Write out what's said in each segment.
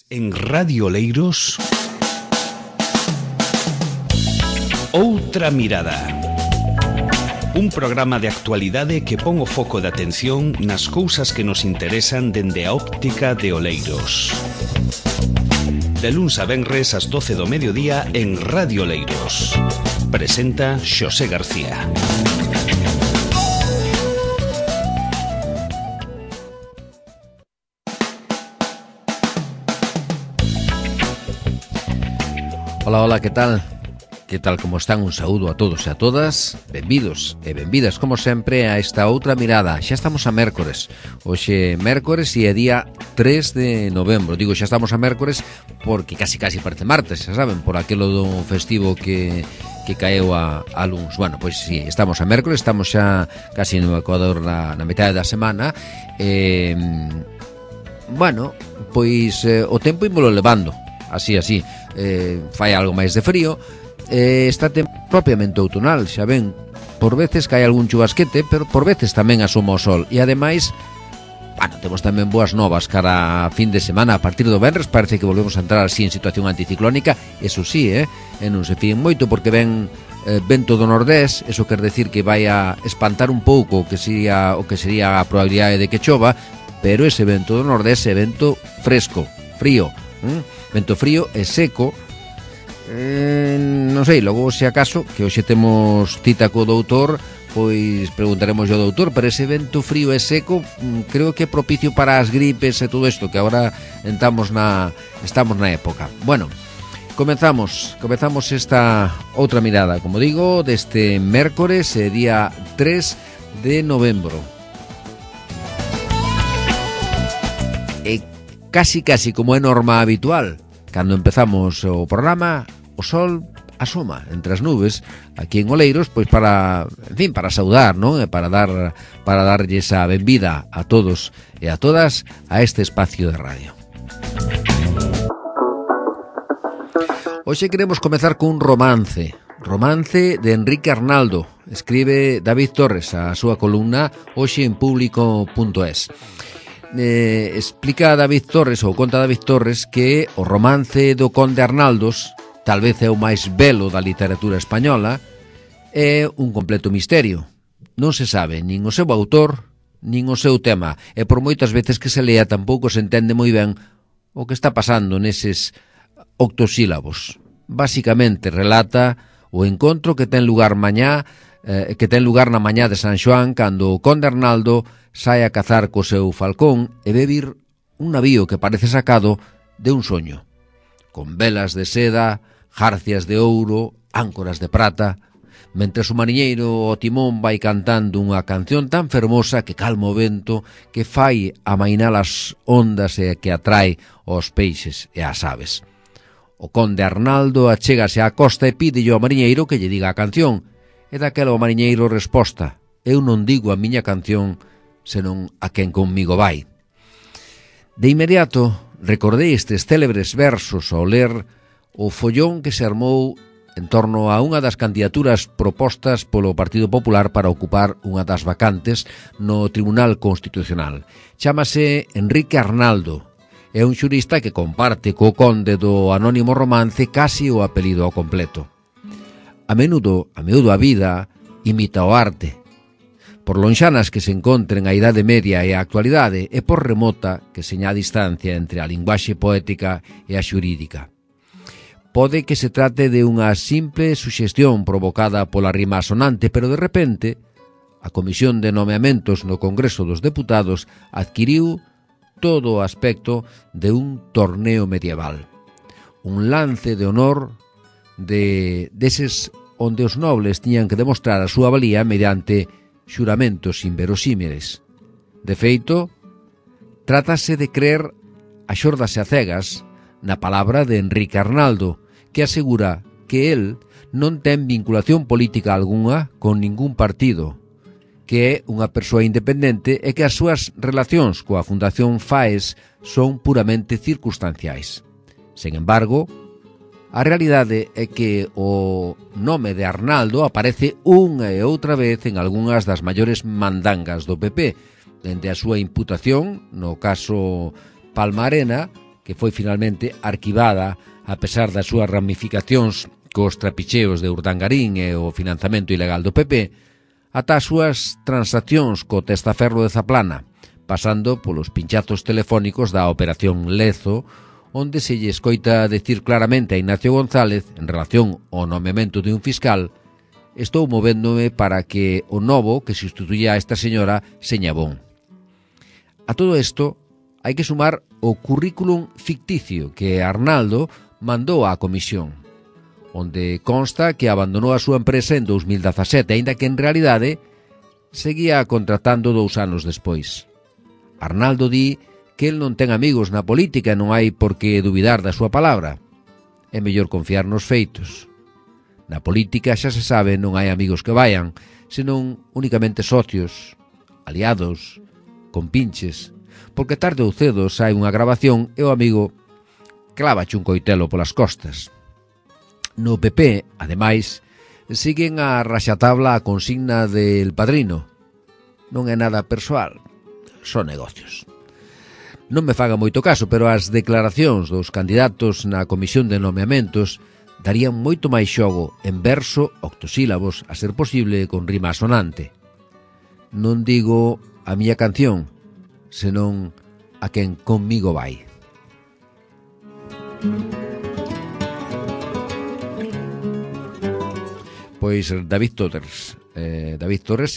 En Radio Oleiros, Outra Mirada. Un programa de actualidade que pon o foco de atención nas cousas que nos interesan dende a óptica de Oleiros. De luns a venres ás 12 do mediodía en Radio Oleiros. Presenta Xosé García. Hola, hola, que tal? Que tal, como están? Un saúdo a todos e a todas. Benvidos e benvidas, como sempre, a esta outra mirada. Xa estamos a mércores. Hoxe mércores e é día 3 de novembro. Digo, xa estamos a mércores porque casi parece martes, xa saben, por aquelo do festivo que caeu a luns. Bueno, pois sí, estamos a mércores, estamos xa casi no Ecuador na metade da semana. Bueno, pois o tempo ímolo levando. Así, fai algo máis de frío. Está propiamente outonal, xa ven. Por veces cae algún chubasquete, pero por veces tamén asoma o sol. E ademais, bueno, temos tamén boas novas cara a fin de semana. A partir do venres parece que volvemos a entrar así en situación anticiclónica. Eso sí, e non se fíen moito porque ven vento do nordés. Eso quer decir que vai a espantar un pouco o que sería a probabilidade de que chova. Pero ese vento do nordés é vento fresco, frío, vento frío e seco. Non sei, logo se acaso que hoxe temos cita co doutor, pois preguntaremos ao doutor, pero ese vento frío e seco creo que é propicio para as gripes e todo isto que agora estamos na época. Bueno, comezamos esta outra mirada, como digo, deste mércores, día 3 de novembro. E casi como é norma habitual, cando empezamos o programa, o sol asoma entre as nubes aquí en Oleiros, pois para saudar, non? E para darlle esa benvida a todos e a todas a este espacio de radio. Hoxe queremos comezar cun romance de Enrique Arnaldo. Escribe David Torres a súa columna hoxe en público.es. Explica David Torres, ou conta David Torres, que o romance do Conde Arnaldos, tal vez é o máis belo da literatura española, é un completo misterio. Non se sabe nin o seu autor, nin o seu tema, e por moitas veces que se lea tampouco se entende moi ben o que está pasando neses octosílabos. Básicamente relata o encontro que ten lugar na mañá de San Xoán, cando o Conde Arnaldo sai a cazar co seu falcón e ve vir un navío que parece sacado de un soño, con velas de seda, jarcias de ouro, áncoras de prata, mentres o mariñeiro ao timón vai cantando unha canción tan fermosa que calma o vento, que fai amainar as ondas e que atrae aos peixes e ás aves. O Conde Arnaldo achégase á costa e pídelle ao mariñeiro que lle diga a canción, e daquela o mariñeiro resposta: eu non digo a miña canción senón a quen conmigo vai. De inmediato recordei estes célebres versos ao ler o follón que se armou en torno a unha das candidaturas propostas polo Partido Popular para ocupar unha das vacantes no Tribunal Constitucional. Chámase Enrique Arnaldo. É un xurista que comparte co conde do anónimo romance casi o apelido ao completo. A menudo a vida imita o arte. Por lonxanas que se encontren a Idade Media e a actualidade, e por remota que seña a distancia entre a linguaxe poética e a xurídica. Pode que se trate de unha simple suxestión provocada pola rima sonante, pero de repente a Comisión de Nomeamentos no Congreso dos Deputados adquiriu todo o aspecto de un torneo medieval. Un lance de honor deses onde os nobles tiñan que demostrar a súa valía mediante xuramentos inverosímiles. De feito, trátase de crer a xordas e a cegas na palabra de Enrique Arnaldo, que asegura que el non ten vinculación política algunha con ningún partido, que é unha persoa independente e que as súas relacións coa Fundación FAES son puramente circunstanciais. Sen embargo, a realidade é que o nome de Arnaldo aparece unha e outra vez en algunhas das maiores mandangas do PP, dende a súa imputación no caso Palma Arena que foi finalmente arquivada a pesar das súas ramificacións cos trapicheos de Urdangarín e o financiamento ilegal do PP, ata as súas transaccións co testaferro de Zaplana, pasando polos pinchazos telefónicos da Operación Lezo, onde se lle escoita decir claramente a Ignacio González, en relación ao nomeamento de un fiscal: estou movéndome para que o novo que sustituya a esta señora seña bon. A todo isto hai que sumar o currículum ficticio que Arnaldo mandou á comisión, onde consta que abandonou a súa empresa en 2017, aínda que en realidade seguía contratando 2 anos despois. Arnaldo di que el non ten amigos na política e non hai por que dubidar da súa palabra. É mellor confiar nos feitos. Na política, xa se sabe, non hai amigos que vayan, senón únicamente socios, aliados, compinches, porque tarde ou cedo sai unha grabación e o amigo clavache un coitelo polas costas. No PP, ademais, siguen a raxatabla a consigna del Padrino. Non é nada persoal, son negocios. Non me faga moito caso, pero as declaracións dos candidatos na comisión de nomeamentos darían moito máis xogo en verso, octosílabos, a ser posible con rima sonante. Non digo a miña canción, senón a quen conmigo vai. Pois David Torres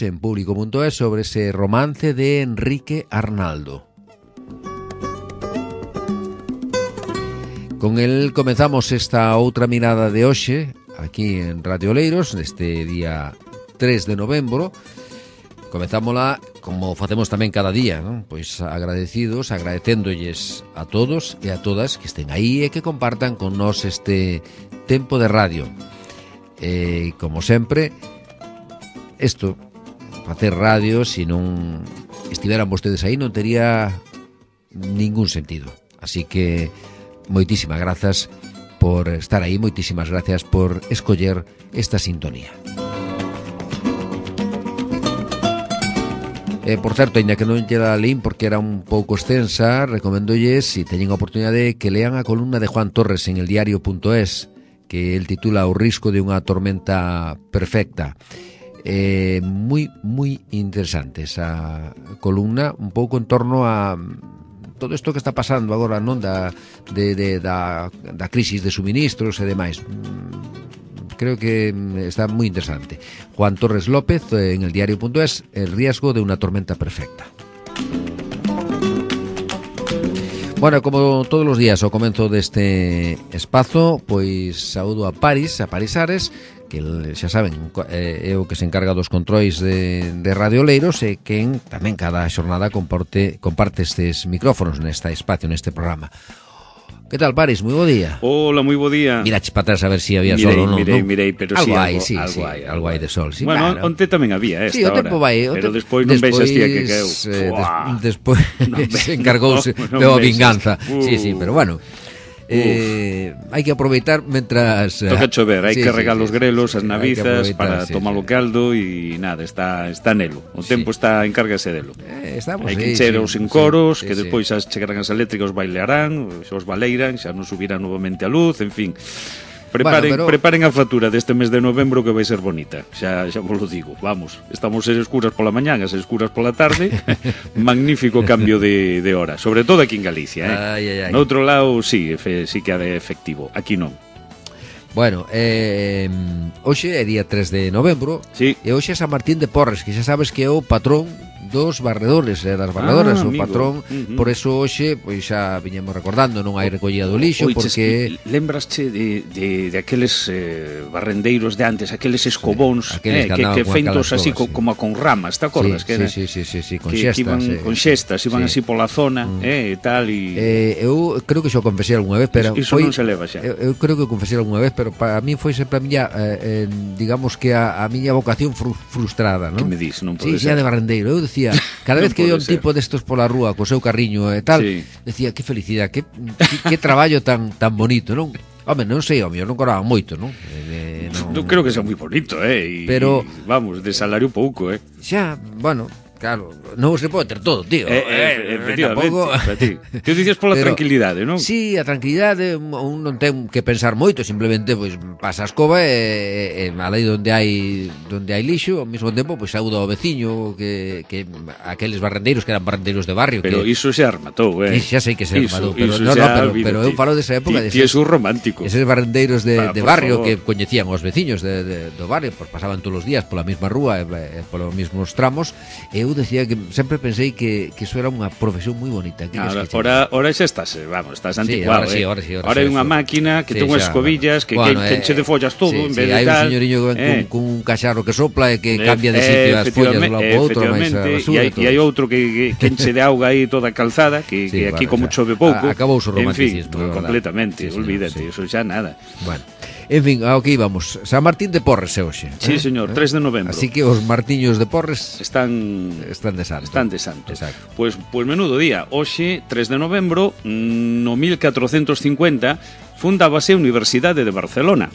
en Público.es sobre ese romance de Enrique Arnaldo. Con el comezamos esta outra mirada de hoxe aquí en Radio Oleiros neste día 3 de novembro. Comezámola como facemos tamén cada día, non? Pois agradecéndolles a todos e a todas que estén aí e que compartan con nós este tempo de radio. Como sempre, facer radio, se non estiveran vostedes aí, non tería ningún sentido. Así que moitísimas grazas por estar aí, moitísimas grazas por escoller esta sintonía. Por certo, ainda que non lle leín porque era un pouco extensa, recomendolles, se teñen a oportunidade, que lean a columna de Juan Torres en eldiario.es, que el titula O risco de unha tormenta perfecta. Moi interesante esa columna, un pouco en torno a todo isto que está pasando agora, non, da crisis de suministros e demais. Creo que está moi interesante. Juan Torres López en eldiario.es, el riesgo de una tormenta perfecta. Bueno, como todos os días ao comenzo deste espazo, pois saúdo a Parisares, que xa saben, é o que se encarga dos controis de Radio Oleiros e quen tamén cada xornada comparte estes micrófonos neste espacio, neste programa. Que tal, Paris? Moi bo día. Hola, moi bo día. Mirache para atrás a ver se había sol ou non. Mirei, pero algo sí, algo hai de sol. Sí, bueno, claro. onte tamén había esta hora. Sí, o tempo vai. Pero despois non veixas tía que queu. Despois se encargouse de a vinganza. Sí, pero bueno. Hai que aproveitar mentras toca chover, hai que regar os grelos, as navizas para tomar o caldo e nada, está nelo. O tempo está encárgase delo. Hai que encher os encoros, que despois as chegarán as eléctricas, os bailarán, os baleiran, xa non subirán novamente a luz, en fin. Preparen a factura deste mes de novembro que vai ser bonita. Xa vos lo digo. Vamos, estamos ser escuras pola mañá, as escuras pola tarde. Magnífico cambio de hora, sobre todo aquí en Galicia, Ai. No outro lado, sí que é efectivo. Aquí non. Bueno, hoxe é día 3 de novembro, sí. E hoxe é San Martín de Porres, que xa sabes que é o patrón dos barredores e das barredoras, o patrón. Por eso hoxe, pois xa viñemos recordando, non hai recollida do lixo, porque lembrasche de aqueles barrendeiros de antes, aqueles escobóns, que feitos así como con ramas, te acordas? Sí, con xestas, con xestas, iban así pola zona, e tal, e eu creo que xo confesei algunha vez, pero iso non se leva xa. Eu creo que confesei algunha vez, pero para mí foi sempre a miña, digamos que a miña vocación frustrada, non? Que me dis, non pode ser. Sí, xa de barrendeiro, eu decía, cada vez que veo un tipo destos pola rúa co seu carriño e tal, decía, que felicidade, que traballo tan bonito, non? Home, non sei, o mío non cobraban moito, non? Non creo que sea moi bonito, pero vamos, de salario pouco, Xa, bueno, Claro, non se pode ter todo, tío. Efectivamente. Tú dices pola tranquilidade, non? Sí, a tranquilidade, un non ten que pensar moito, simplemente pois pasa a escoba e alaí onde hai lixo, ao mesmo tempo pois saúda ao veciño que aqueles barrendeiros que eran barrendeiros de barrio. Pero iso xa rematou, Xa sei que se rematou, pero eu falo desa época de eses romántico. Eses barrendeiros de barrio que coñecían os veciños do barrio, pois pasaban todos os días pola mesma rúa e polos mesmos tramos. Eu decía que sempre pensei que iso era unha profesión moi bonita. Ahora xa estás anticuado. Ahora hai unha máquina que ten unhas escobillas que enche de follas todo en vez de hai tal. un señoriño con un cacharro que sopla e que cambia de sitio as follas de un lado para outro, máis a basura. E hai outro que enche de auga aí toda a calzada, que aquí como chove pouco. Acabou o romanticismo. En fin, completamente, olvídate, eso xa nada. Bueno. En fin, ao que íbamos. San Martín de Porres é hoxe. Sí, señor, 3 de novembro. Así que os martiños de Porres están de santo. Están de santo. Exacto. Pois menudo día. Hoxe, 3 de novembro, no 1450, fundábase a Universidade de Barcelona.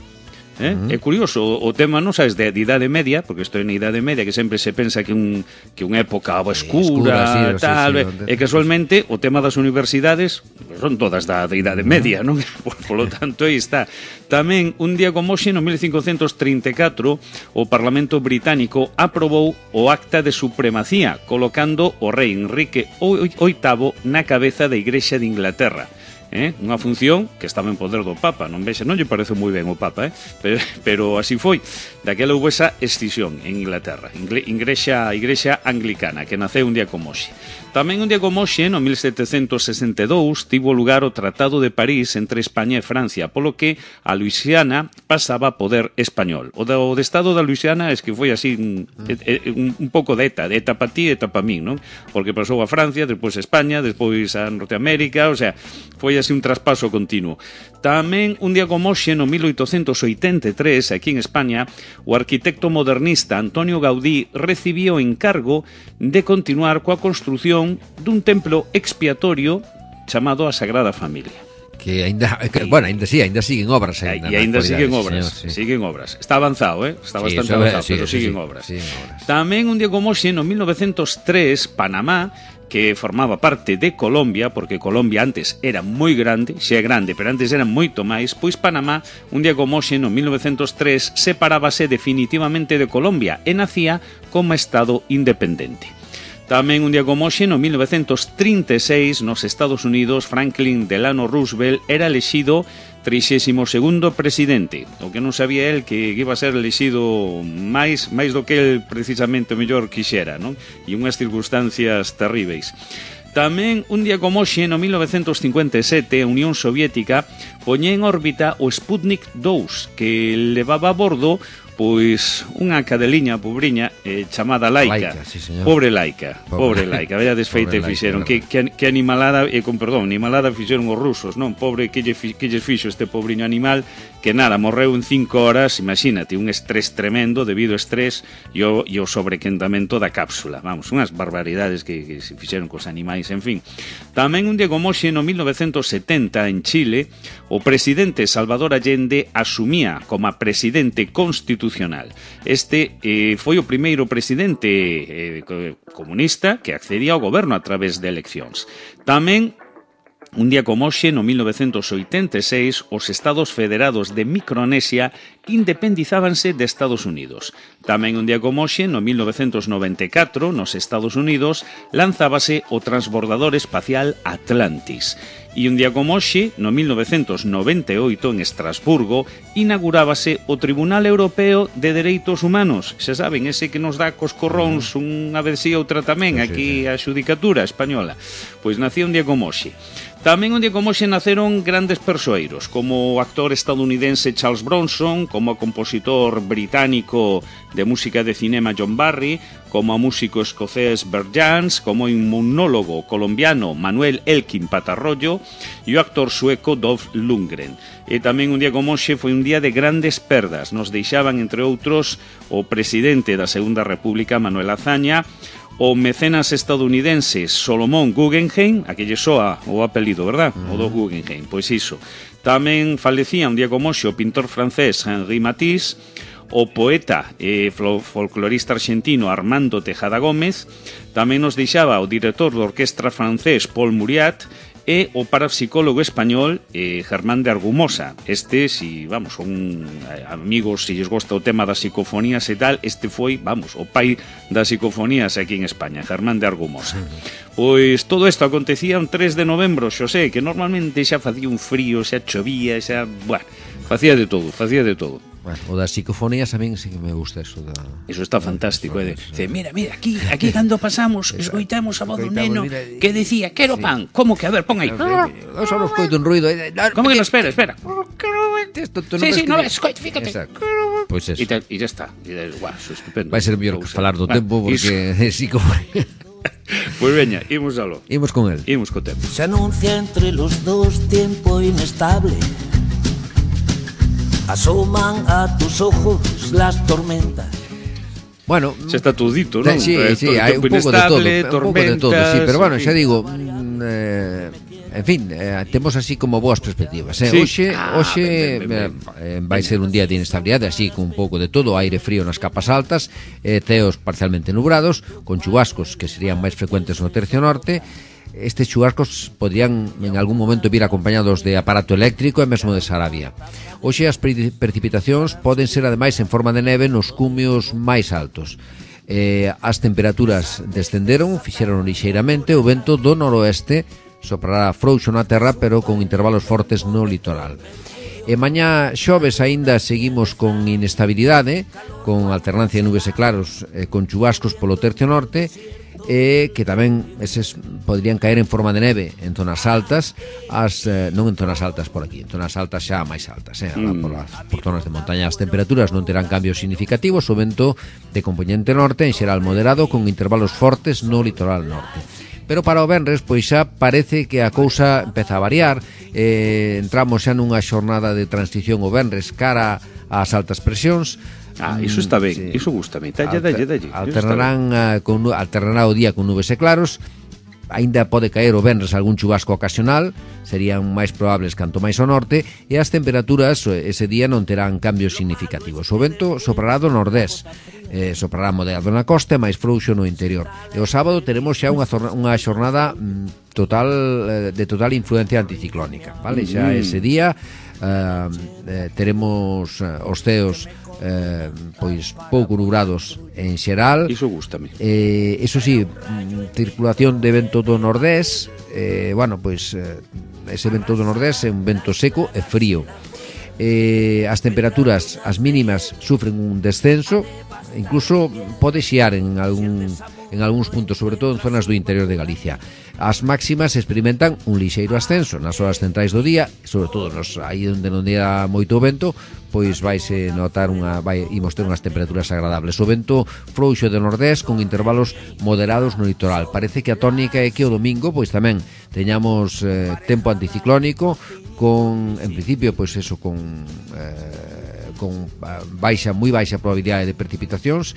É curioso, o tema non sabes de Idade Media, porque isto é na Idade Media que sempre se pensa que unha época escura, tal, e casualmente o tema das universidades son todas da Idade Media, non? Por lo tanto, aí está. Tamén, un día como hoxe, no 1534, o Parlamento Británico aprobou o Acta de Supremacía, colocando o rei Enrique VIII na cabeza da Igrexa de Inglaterra. Unha función que estaba en poder do Papa, non lle parece moi ben o Papa, pero así foi. Daquela houve esa escisión en Inglaterra, Igrexa anglicana, que naceu un día como hoxe. Tamén un día como hoxe, no 1762, tivo lugar o Tratado de París entre España e Francia, polo que a Luisiana pasaba a poder español. O de Estado da Luisiana es que foi así un pouco de ETA pa ti e ETA pa min, non? Porque pasou a Francia, despois a España, despois a Norteamérica, o sea, foi así un traspaso continuo. Tamén un día como hoxe, no 1883, aquí en España, o arquitecto modernista Antonio Gaudí recibía o encargo de continuar coa construción dun templo expiatorio chamado a Sagrada Familia. Ainda siguen obras. Ainda siguen obras, siguen obras. Está avanzado, está bastante avanzado, pero siguen obras. Tamén un día como hoxe, no 1903, Panamá, que formaba parte de Colombia, porque Colombia antes era moi grande, xa é grande, pero antes era moito máis, pois Panamá, un día como hoxe, no 1903, separábase definitivamente de Colombia e nacía como Estado independente. Tamén un día como hoxe, no 1936, nos Estados Unidos, Franklin Delano Roosevelt era elexido 32º presidente. O que non sabía el que iba a ser elexido máis do que el precisamente o mellor quixera, non? E unhas circunstancias terríveis. Tamén un día como hoxe, no 1957, a Unión Soviética poñía en órbita o Sputnik 2, que levaba a bordo pois unha cadeliña pobriña chamada Laika. Pobre Laika, vaya desfeita fixeron. Que animalada, animalada fixeron os rusos, non? Pobre que lles fixo este pobriño animal, que nada, morreu en 5 horas, imagínate, un estrés tremendo debido ao estrés e o sobrequentamento da cápsula. Vamos, unhas barbaridades que se fixeron cos animais, en fin. Tamén un día como hoxe, no 1970, en Chile, o presidente Salvador Allende asumía como presidente constitucional. Este foi o primeiro presidente comunista que accedía ao goberno a través de eleccións. Tamén un día como hoxe, no 1986, os Estados Federados de Micronesia independizábanse de Estados Unidos. Tamén un día como hoxe, no 1994, nos Estados Unidos, lanzábase o transbordador espacial Atlantis. E un día como hoxe, no 1998, en Estrasburgo, inaugurábase o Tribunal Europeo de Dereitos Humanos. Xa saben, ese que nos dá cos corróns unha vez e outra tamén, aquí a xudicatura española. Pois nacía un día como hoxe. Tamén un día como hoxe naceron grandes persoeiros, como o actor estadounidense Charles Bronson, como o compositor británico de música de cinema John Barry, como o músico escocés Bert Jansch, como o inmunólogo colombiano Manuel Elkin Patarroyo e o actor sueco Dolph Lundgren. E tamén un día como hoxe foi un día de grandes perdas. Nos deixaban, entre outros, o presidente da Segunda República, Manuel Azaña, o mecenas estadounidense Solomon Guggenheim, a que lle soa o apelido, verdad? O do Guggenheim, pois iso. Tamén falecía un día como hoxe o pintor francés Henri Matisse, o poeta e folclorista argentino Armando Tejada Gómez, tamén nos deixaba o director da orquestra francés Paul Muriat e o parapsicólogo español Germán de Argumosa. Este, si, vamos, son amigos, se lles gosta o tema das psicofonías e tal, este foi, vamos, o pai das psicofonías aquí en España, Germán de Argumosa. Pois todo isto acontecía un 3 de novembro, Xosé, que normalmente xa facía un frío, xa chovía, xa, bueno, facía de todo. Bueno, o das psicofonías a min sí que me gusta eso da... Eso está fantástico, Dice, mira, aquí cando pasamos escoitamos a voz do neno que decía, quero pan. Como que? A ver, pon aí. Eu só non escoito un ruido. Como que no? Espera. Sí, no, escoito, fíjate. Pois eso. E ya está. Guau, eso é estupendo. Vai ser mellor que falar do tempo, porque psicofonía... Pois veña, imos aló. Imos con el. Imos co tempo. Se anuncia entre los dos tiempo inestable. Asoman a tus ojos las tormentas. Bueno, xa está todo dito, non? Sí, hai un pouco de todo, sí, pero bueno, xa digo, en fin, temos así como boas perspectivas, Hoxe vai ser un día de inestabilidade, así con un pouco de todo, aire frío nas capas altas, ceos parcialmente nubrados, con chubascos que serían máis frecuentes no tercio norte. Estes chubascos podrían en algún momento vir acompañados de aparato eléctrico e mesmo de sarabia. Hoxe as precipitacións poden ser ademais en forma de neve nos cumios máis altos. As temperaturas descenderon, fixeron lixeiramente, o vento do noroeste soprará frouxo na terra, pero con intervalos fortes no litoral. E mañá xoves aínda seguimos con inestabilidade, con alternancia de nubes e claros, con chubascos polo tercio norte, que tamén eses podrían caer en forma de neve en zonas altas, non en zonas altas por aquí, en zonas altas xa máis altas, por zonas de montaña. As temperaturas non terán cambios significativos, o vento de componente norte en xeral moderado con intervalos fortes no litoral norte. Pero para o venres, pois xa parece que a cousa empeza a variar, entramos xa nunha xornada de transición o venres cara ás altas presións. Iso está ben, sí. Iso gustame. Dalle. Alternará o día con nubes e claros. Aínda pode caer o venres algún chubasco ocasional, serían máis probables canto máis ao norte, e as temperaturas ese día non terán cambios significativos. O vento soprará do nordés, soprará moderado na costa e máis frouxo no interior. E o sábado teremos xa unha xornada de total influencia anticiclónica, vale? Xa ese día teremos os ceos pois pouco nubrados en xeral. Iso gústame. Eso sí, circulación de vento do nordés, bueno, pois ese vento do nordés é un vento seco e frío. As temperaturas, as mínimas, sufren un descenso, incluso pode xiar en algúns puntos, sobre todo en zonas do interior de Galicia. As máximas experimentan un lixeiro ascenso nas horas centrais do día, sobre todo aí onde non día moito vento, pois vaise notar imos ter unhas temperaturas agradables. O vento frouxo de nordés con intervalos moderados no litoral. Parece que a tónica é que o domingo pois tamén teñamos tempo anticiclónico con, en principio, pois eso, con moi baixa probabilidade de precipitacións,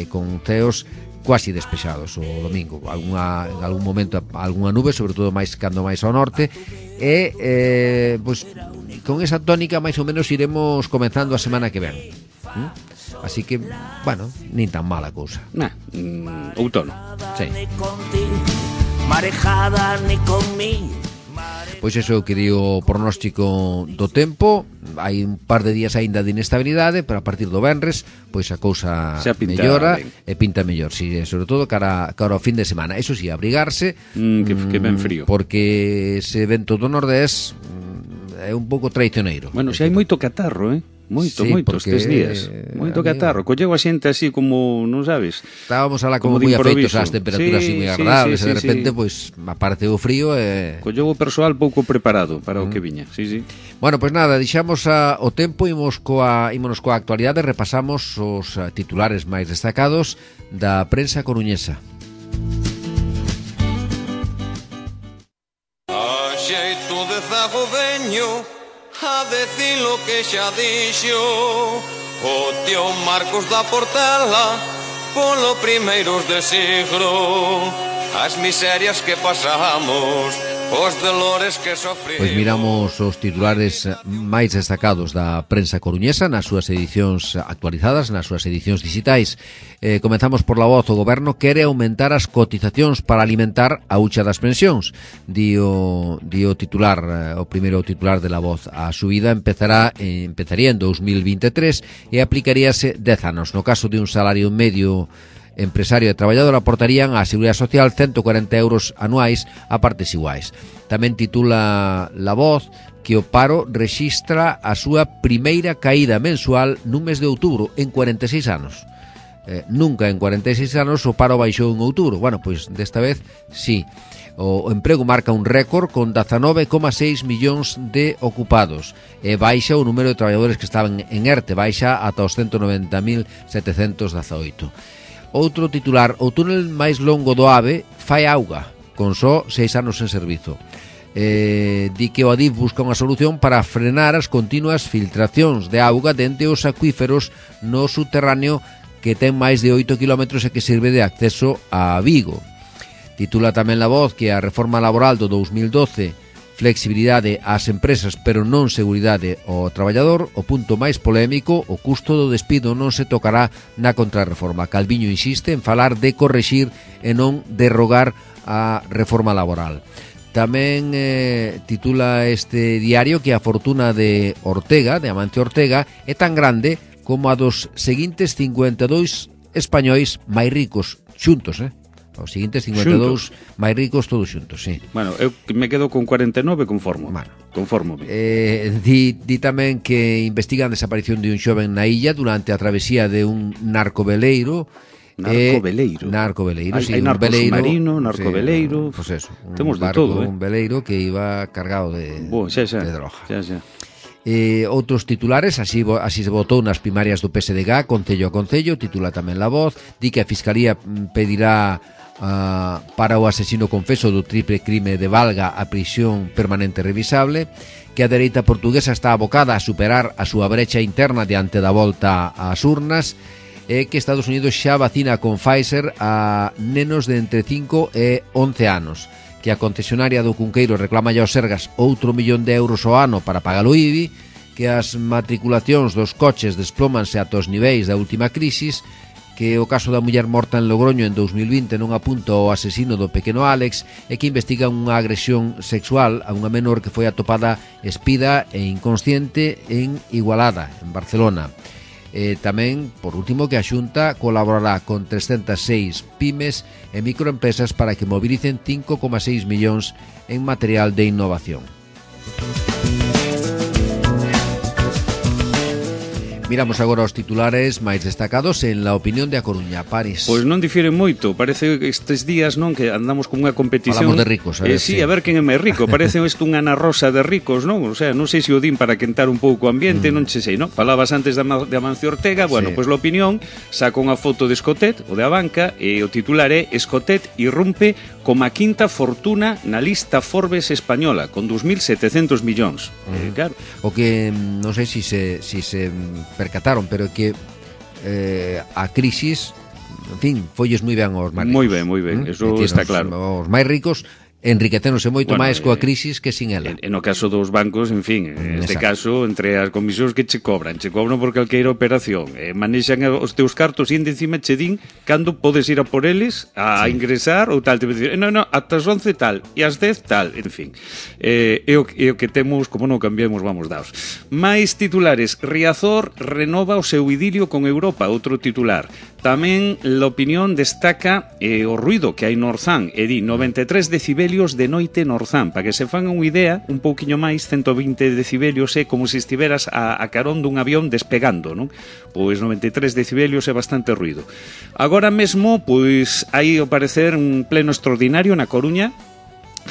con ceos quasi despexados o domingo, en algún momento algunha nube, sobre todo cando máis ao norte, e pois con esa tónica máis ou menos iremos comenzando a semana que ven. Así que, bueno, nin tan mala cousa. Outono. Sí. Marejada ni conmigo. Pois eso que di o pronóstico do tempo. Hai un par de días aínda de inestabilidade, pero a partir do venres pois a cousa mellora e pinta mellor, si, sobre todo cara ao fin de semana. Eso si, abrigarse, que ben frío, porque ese vento do nordés é un pouco traicioneiro. Bueno, xa hai moito catarro, Moito estes días. Moito catarro. Colleu a xente así como, non sabes? Estábamos alá como moi afeitos ás temperaturas así moi agradables, e de repente, pois, aparte o frío colleu o persoal pouco preparado para o que viña. Sí. Bueno, pois nada, deixamos o tempo, ímonos coa actualidade, repasamos os titulares máis destacados da prensa coruñesa. A xeito de zagodeño, a decir lo que xa dixo o tío Marcos da Portela polo primeiros de siglo. As miserias que pasamos os dolores que sofrimos. Pois miramos os titulares máis destacados da prensa coruñesa nas súas edicións actualizadas, nas súas edicións digitais. Comenzamos por La Voz. O goberno quere aumentar as cotizacións para alimentar a hucha das pensións. Dio titular, o primeiro titular de La Voz. A subida empezaría en 2023 e aplicaríase 10 anos. No caso de un salario medio empresario e traballador, aportarían á Seguridade Social 140 euros anuais a partes iguais. Tamén titula La Voz que o paro rexistra a súa primeira caída mensual nun mes de outubro en 46 anos. Nunca en 46 anos o paro baixou en outubro. Bueno, pois desta vez sí. O emprego marca un récord con 19,6 millóns de ocupados e baixa o número de traballadores que estaban en ERTE, baixa ata os 190.718. Outro titular, o túnel máis longo do AVE fai auga, con só 6 anos en servizo. Di que o Adif busca unha solución para frenar as continuas filtracións de auga dende os acuíferos no subterráneo que ten máis de 8 km e que sirve de acceso a Vigo. Titula tamén La Voz que a reforma laboral do 2012 flexibilidade ás empresas pero non seguridade ao traballador. O punto máis polémico, o custo do despido non se tocará na contrarreforma. Calviño insiste en falar de correxir e non derrogar a reforma laboral. Tamén titula este diario que a fortuna de Ortega, de Amancio Ortega, é tan grande como a dos seguintes 52 españois máis ricos xuntos, Os seguintes 52 máis ricos todos xuntos, sí. Bueno, eu me quedo con 49 conformo. Bueno, conformo. Di tamén que investigan a desaparición de un xoven na illa durante a travesía de un narcoveleiro. Narcoveleiro, sí, hai un veleiro submarino, narcoveleiro. Pois eso, temos de barco, todo, un veleiro que iba cargado de droga. Xa. Outros titulares, así se votou nas primarias do PSDG, concello a concello. Titula tamén La Voz, di que a Fiscalía pedirá para o asesino confeso do triple crime de Valga a prisión permanente revisable, que a dereita portuguesa está abocada a superar a súa brecha interna diante da volta ás urnas, e que Estados Unidos xa vacina con Pfizer a nenos de entre 5 e 11 anos, que a concesionaria do Cunqueiro reclama aos Sergas outro 1 millón de euros ao ano para pagar o IBI, que as matriculacións dos coches desplómanse ata os niveis da última crisis, que o caso da muller morta en Logroño en 2020 non apunta ao asesino do pequeno Alex, e que investiga unha agresión sexual a unha menor que foi atopada espida e inconsciente en Igualada, en Barcelona. Tamén, por último, que a Xunta colaborará con 306 pymes e microempresas para que mobilicen 5,6 millóns en material de innovación. Miramos agora os titulares máis destacados en La Opinión de A Coruña. Paris. Pois non difiere moito, parece que estes días non que andamos como unha competición. Falamos de ricos, a ver, sí, a ver quen é máis rico. Parece isto unha Ana Rosa de ricos, non? O sea, non sei se o din para quentar un pouco o ambiente, non sei, non? Falabas antes de Amancio Ortega, bueno, pois La Opinión saca unha foto de Escotet, o de Abanca, e o titular é Escotet irrumpe como a quinta fortuna na lista Forbes española, con 2.700 millóns. Claro. O que non sei se percataron, pero que a crisis, en fin, folles moi ben aos máis ricos. Moi ben, eso está claro. Os máis ricos enriquecéronse moito máis coa crisis que sin ela. No caso dos bancos, en fin, neste caso, entre as comisións que che cobran por calqueira operación, manexan os teus cartos e encima che din cando podes ir a por eles, a ingresar ou tal, te dicir, non, ata as 11 tal, e as 10 tal, en fin. É o que temos, como non cambiamos, vamos daos. Mais titulares, Riazor renova o seu idilio con Europa, outro titular. Tamén La Opinión destaca o ruido que hai no Orzán, e di 93 decibelios de noite no Orzán, para que se fan unha idea, un pouquiño máis, 120 decibelios é como se estiveras a carón dun avión despegando, non? Pois 93 decibelios é bastante ruido. Agora mesmo, pois, hai ao parecer un pleno extraordinario na Coruña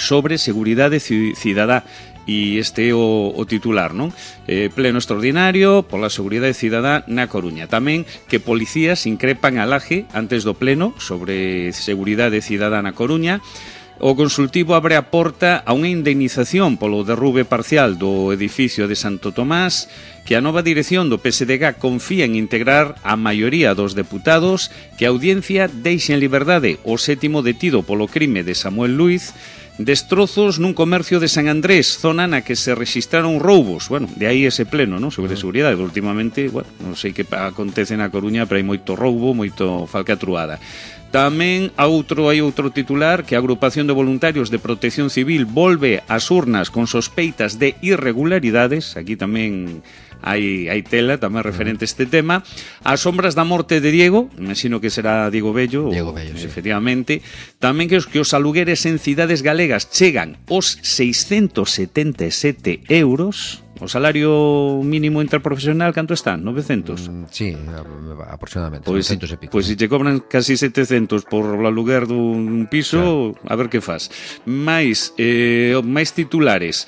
sobre seguridade cidadá. E este é o titular, non? Pleno extraordinario pola seguridade cidadá na Coruña. Tamén que policías increpan a Laje antes do pleno sobre seguridade cidadá na Coruña. O consultivo abre a porta a unha indemnización polo derrube parcial do edificio de Santo Tomás, que a nova dirección do PSDG confía en integrar a maioría dos deputados, que a audiencia deixe en liberdade o 7º detido polo crime de Samuel Luiz, Destrozos nun comercio de San Andrés, zona na que se registraron roubos. Bueno, de aí ese pleno, non? Sobre seguridade. Últimamente, bueno, non sei que acontece na Coruña, pero hai moito roubo, moito falcatruada. Tamén hai outro titular, que a agrupación de voluntarios de Protección Civil volve ás urnas con sospeitas de irregularidades. Aquí tamén hai tela tamén referente a este tema. As sombras da morte de Diego, imagino que será Diego Bello, sí. Efectivamente. Tamén que os alugueres en cidades galegas chegan aos 677 euros. O salario mínimo interprofesional canto está? 900? Sí, aproximadamente, 900 e pico. Pois se che cobran casi 700 por o aluguer dun piso, claro. A ver que faz. Mais titulares.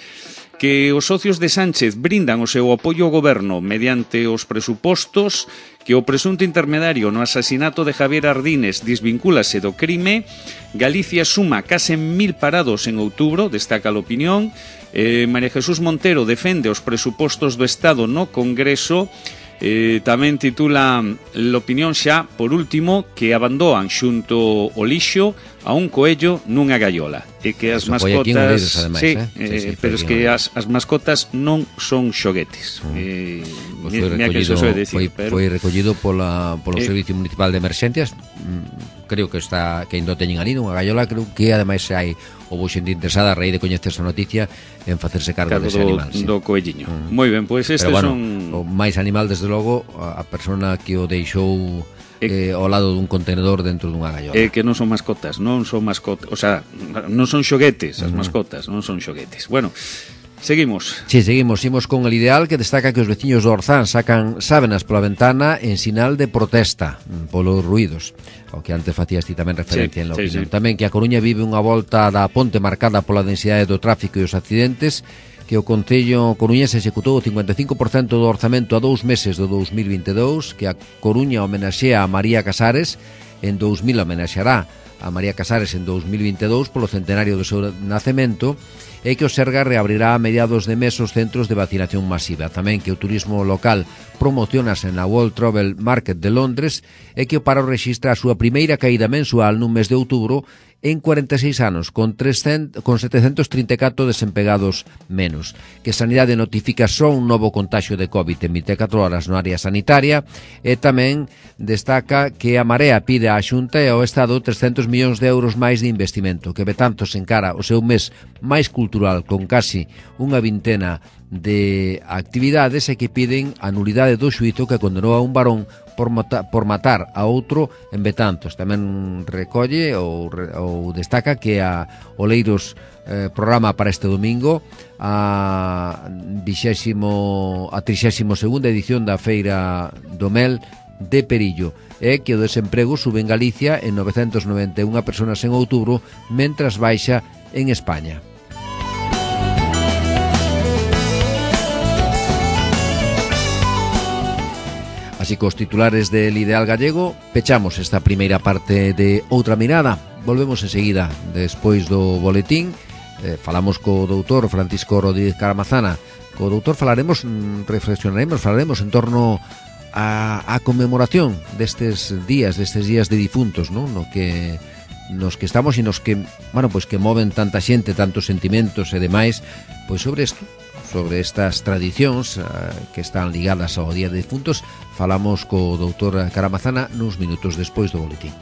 Que os socios de Sánchez brindan o seu apoio ao goberno mediante os presupostos, que o presunto intermediario no asasinato de Javier Ardines desvincúlase do crime, Galicia suma case 1000 parados en outubro, destaca a Opinión, María Jesús Montero defende os presupostos do Estado no Congreso, tamén titula L'Opinión xa, por último, que abandoan xunto o lixo a un coello nunha gaiola. E que as mascotas... Ademais, sí, pero es que as mascotas non son xoguetes. Foi recollido polo Servicio Municipal de Emerxencias. Creo que ainda teñen ali nunha gaiola. Creo que ademais hai houbo xente interesada a raíz de coñecer esa noticia en facerse cargo dese animal. Do coelliño. Moi ben, pois estes son... O máis animal, desde logo, a persona que o deixou ao lado dun contenedor dentro dunha gaiola. Que non son mascotas, o sea, non son xoguetes, as mascotas non son xoguetes. Bueno, seguimos. Sí, seguimos con el Ideal, que destaca que os veciños do Orzán sacan sábenas pola ventana en sinal de protesta polos ruídos, ao que antes facías ti tamén referencia en la Opinión. Tamén que a Coruña vive unha volta da ponte marcada pola densidade do tráfico e os accidentes, que o Concello coruñés executou o 55% do orzamento a 2 meses do 2022, que a Coruña homenaxea a María Casares, en 2000 homenaxeará a María Casares en 2022 polo centenario do seu nacemento, e que o Sergas reabrirá a mediados de mes os centros de vacinación masiva. Tamén que o turismo local promocionase na World Travel Market de Londres, e que o paro rexistra a súa primeira caída mensual nun mes de outubro en 46 anos, con 734 desempegados menos. Que Sanidade notifica só un novo contagio de COVID en 24 horas no área sanitaria, e tamén destaca que a Marea pide á Xunta e ao Estado 300 millóns de euros máis de investimento, que Betanzos encara o seu mes máis cultural con casi unha vintena de actividades, e que piden a nulidade do xuízo que condenou a un varón por matar a outro en Betanzos. Tamén recolle ou destaca que a Oleiros programa para este domingo a 32ª edición da Feira do Mel de Perillo, e que o desemprego sube en Galicia en 991 personas en outubro, mentras baixa en España. Así que os titulares del Ideal Gallego, pechamos esta primeira parte de Outra Mirada. Volvemos enseguida, despois do boletín. Falamos co doutor Francisco Rodríguez Caramazana. Co doutor falaremos en torno a conmemoración destes días de difuntos, non? Nos que estamos e nos que, bueno, pois que moven tanta xente, tantos sentimentos e demais, pois sobre isto, sobre estas tradicións que están ligadas ao Día de Difuntos, falamos co doutor Caramazana nuns minutos despois do boletín.